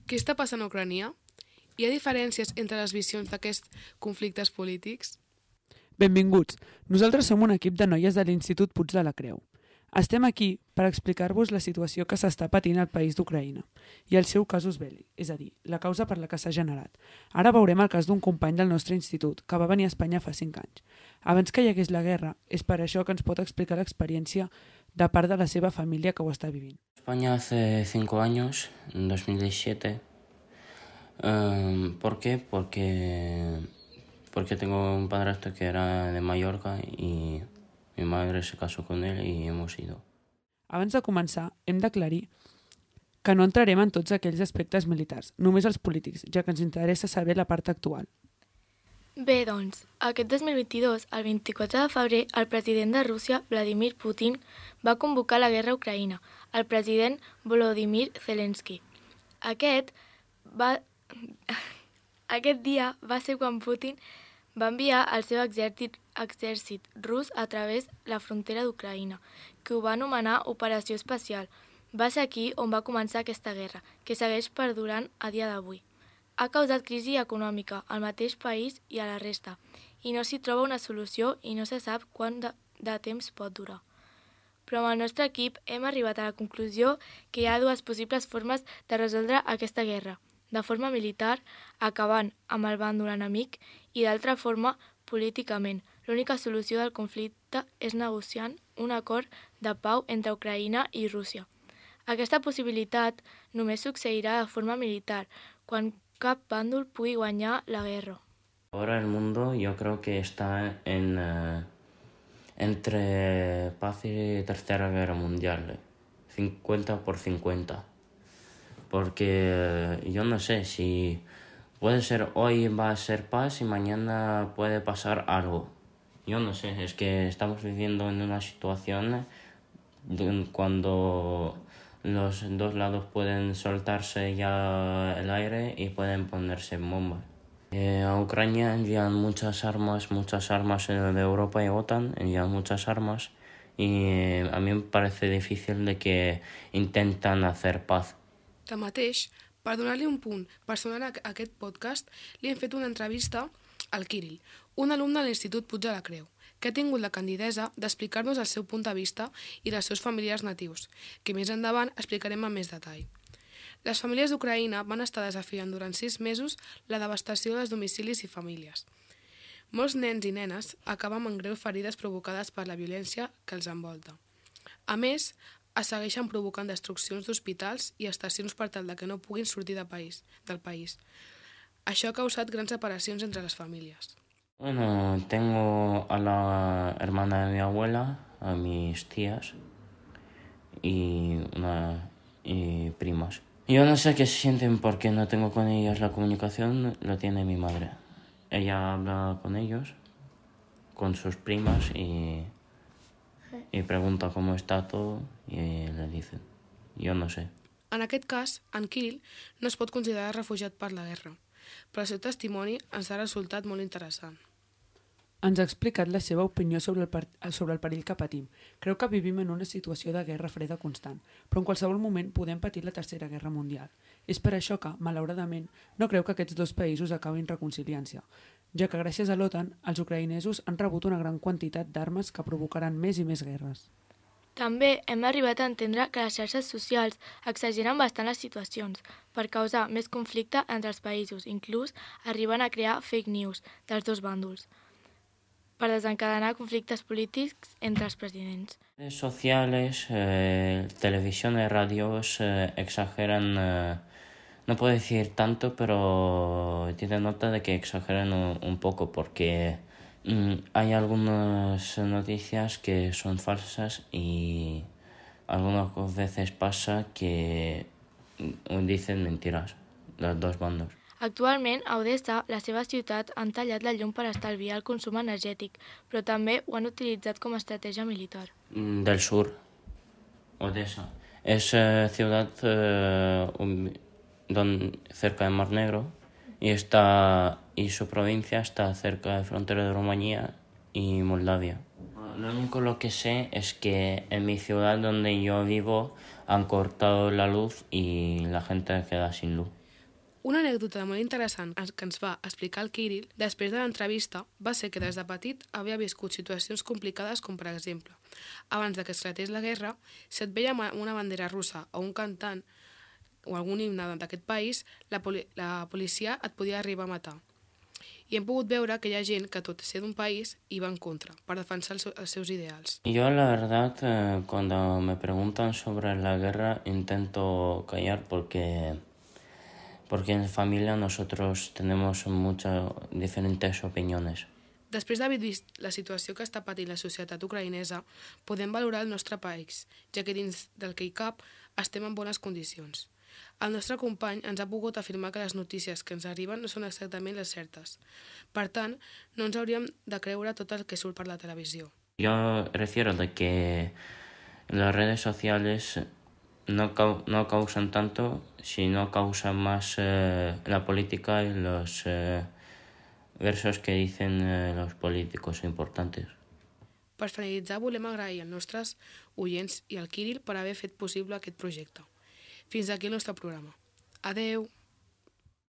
Què està passant a Ucrània? Hi ha diferències entre les visions d'aquests conflictes polítics? Benvinguts. Nosaltres som un equip de noies de l'Institut Puig de la Creu. Estem aquí per explicar-vos la situació que s'està patint al país d'Ucraïna i el seu casus belli, és a dir, la causa per la que s'ha generat. Ara veurem el cas d'un company del nostre institut que va venir a Espanya fa 5 anys. Abans que hi hagués la guerra, és per això que ens pot explicar l'experiència de part de la seva família que ho està vivint. España hace 5 años, en 2017. ¿Por qué? Porque tengo un padrastro que era de Mallorca y mi madre se casó con él y hemos ido. Abans de començar, hem d'aclarir que no entrarem en tots aquells aspectes militars, només els polítics, ja que ens interessa saber la part actual. Bé, doncs, aquest 2022, el 24 de febrer, el president de Rússia, Vladimir Putin, va convocar la guerra a Ucraïna, el president Volodymyr Zelensky. Aquest dia va ser quan Putin va enviar el seu exèrcit rus a través de la frontera d'Ucraïna, que ho va anomenar Operació Especial. Va ser aquí on va començar aquesta guerra, que segueix perdurant a dia d'avui. Ha causat crisi econòmica al mateix país i a la resta, i no s'hi troba una solució i no se sap quant de temps pot durar. Però amb el nostre equip hem arribat a la conclusió que hi ha dues possibles formes de resoldre aquesta guerra. De forma militar, acabant amb el bàndol enemic, i d'altra forma, políticament. L'única solució del conflicte és negociant un acord de pau entre Ucraïna i Rússia. Aquesta possibilitat només succeirà de forma militar, quan cap bàndol pugui guanyar la guerra. Ahora el mundo yo creo que está entre paz y tercera guerra mundial, 50-50. Porque yo no sé si puede ser hoy va a ser paz y mañana puede pasar algo. Yo no sé, es que estamos viviendo en una situación cuando los dos lados pueden soltarse ya el aire y pueden ponerse en bombas. A Ucrania envían muchas armas de Europa y OTAN, envían muchas armas y a mí me parece difícil de que intentan hacer paz. Tanmateix, per donar-li un punt personal a aquest podcast, li hem fet una entrevista al Kirill, un alumne de l'Institut Puig de la Creu, que ha tingut la candidesa d'explicar-nos el seu punt de vista i dels seus familiars natius, que més endavant explicarem amb més detall. Les famílies d'Ucraïna van estar desafiant durant 6 mesos la devastació dels domicilis i famílies. Molts nens i nenes acaben amb greus ferides provocades per la violència que els envolta. A més, es segueixen provocant destruccions d'hospitals i estacions per tal que no puguin sortir del país. Això ha causat grans separacions entre les famílies. Bueno, tengo a la hermana de mi abuela, a mis tías y primas. Yo no sé qué se sienten porque no tengo con ellas la comunicación, la tiene mi madre. Ella habla con ellos, con sus primas y pregunta cómo está todo y le dicen. Jo no sé. En aquest cas, en Kirill no es pot considerar refugiat per la guerra, però el seu testimoni ens ha resultat molt interessant. Ens ha explicat la seva opinió sobre el perill que patim. Creu que vivim en una situació de guerra freda constant, però en qualsevol moment podem patir la tercera guerra mundial. És per això que, malauradament, no creu que aquests dos països acabin reconciliant-se, ja que gràcies a l'OTAN, els ucraïnesos han rebut una gran quantitat d'armes que provocaran més i més guerres. També hem arribat a entendre que les xarxes socials exageren bastant les situacions per causar més conflicte entre els països, inclús arriben a crear fake news dels dos bàndols per desencadenar conflictes polítics entre els presidents. Redes sociales, televisión y radios exageran, no puedo decir tanto, pero tiene nota de que exageran un poco porque hay algunas noticias que son falsas y algunas veces pasa que dicen mentiras, los dos bandos. Actualment, a Odessa, la seva ciutat, han tallat la llum per estalviar el consum energètic, però també ho han utilitzat com a estratègia militar. Del sur, Odessa. Es ciudad cerca del Mar Negro y su provincia está cerca de la frontera de Rumanía y Moldavia. Lo único lo que sé es que en mi ciudad donde yo vivo han cortado la luz y la gente queda sin luz. Una anècdota molt interessant que ens va explicar el Kirill després de l'entrevista va ser que des de petit havia viscut situacions complicades com, per exemple, abans de que esclatés la guerra, si et veia amb una bandera russa o un cantant o algun himne d'aquest país, la policia et podia arribar a matar. I hem pogut veure que hi ha gent que, tot ser d'un país, hi va en contra, per defensar els seus ideals. Yo, la verdad, cuando me preguntan sobre la guerra, intento callar porque en familia nosotros tenemos muchas diferentes opiniones. Després d'haver vist la situació que està patint la societat ucraïnesa, podem valorar el nostre país, ja que dins del que hi cap estem en bones condicions. El nostre company ens ha pogut afirmar que les notícies que ens arriben no són exactament les certes. Per tant, no ens hauríem de creure tot el que surt per la televisió. Yo refiero de que las redes sociales no causan tanto, sino causan más la política y los versos que dicen los políticos importantes. Per finalitzar, volem agrair als nostres oients i al Kirill per haver fet possible aquest projecte. Fins aquí el nostre programa. Adeu!